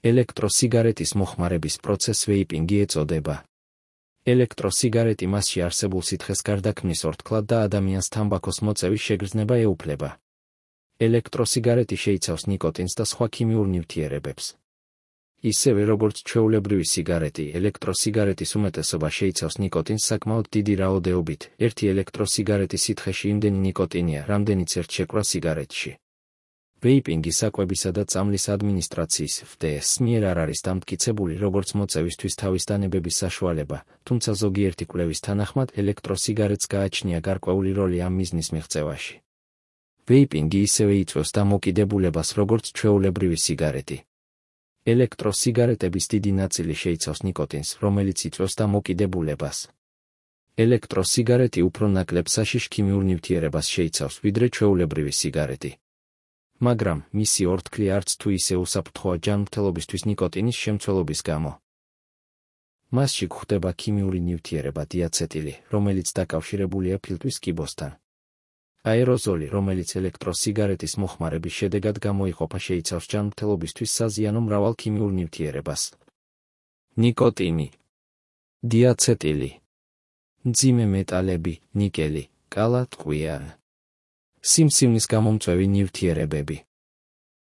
ელექტროსიგარეტის მოხმარების პროცესს ვეიპინგი ეწოდება. ელექტროსიგარეტი მასში არსებულ სითხეს გარდაქმნის ორთქლად და ადამიანს თამბაქოს მოწევის შეგრძნება ეუფლება. ელექტროსიგარეტი შეიცავს ნიკოტინს და სხვა ქიმიურ ნივთიერებებს. ისევე როგორც ჩვეულებრივი სიგარეტი, ელექტროსიგარეტის უმეტესობა შეიცავს ნიკოტინს საკმაოდ დიდი რაოდენობით. ერთი ელექტროსიგარეტის სითხეში იმდენი ნიკოტინია, რამდენიც ერთ შეკვრა სიგარეტში. ვეიპინგი საკვებისა და წამლის ადმინისტრაციის FDA-ს მიერ არ არის დამტკიცებული როგორც მოწევისთვის თავის დანებების საშუალება, თუმცა ზოგიერთი კვლევის თანახმად ელექტროსიგარეტს გააჩნია გარკვეული როლი ამ მიზნის მიღწევაში. ვეიპინგი ისევე იწვევს დამოკიდებულებას როგორც ჩვეულებრივი სიგარეტი. ელექტროსიგარეტების დიდი ნაწილი შეიცავს ნიკოტინს, რომელიც იწვევს დამოკიდებულებას. ელექტროსიგარეტი უფრო ნაკლებ საშიშ ქიმიურ ნივთიერებას შეიცავს, ვიდრე ჩვეულებრივი სიგარეტი. მაგრამ მისი ორთქლი არც თუ ისე უსაფრთხოა ჯანმრთელობისთვის ნიკოტინის შემცველობის გამო. მასში გვხვდება ქიმიური ნივთიერება დიაცეტილი, რომელიც დაკავშირებულია ფილტვის კიბოსთან. აეროზოლი, რომელიც ელექტროსიგარეტის მოხმარების შედეგად გამოიყოფა, შეიცავს ჯანმრთელობისთვის საზიანო მრავალ ქიმიურ ნივთიერებას. ნიკოტინი, დიაცეტილი, მძიმე მეტალები, ნიკელი, კალა, ტყვია. სიმსივნის გამომწვევი ნივთიერებები.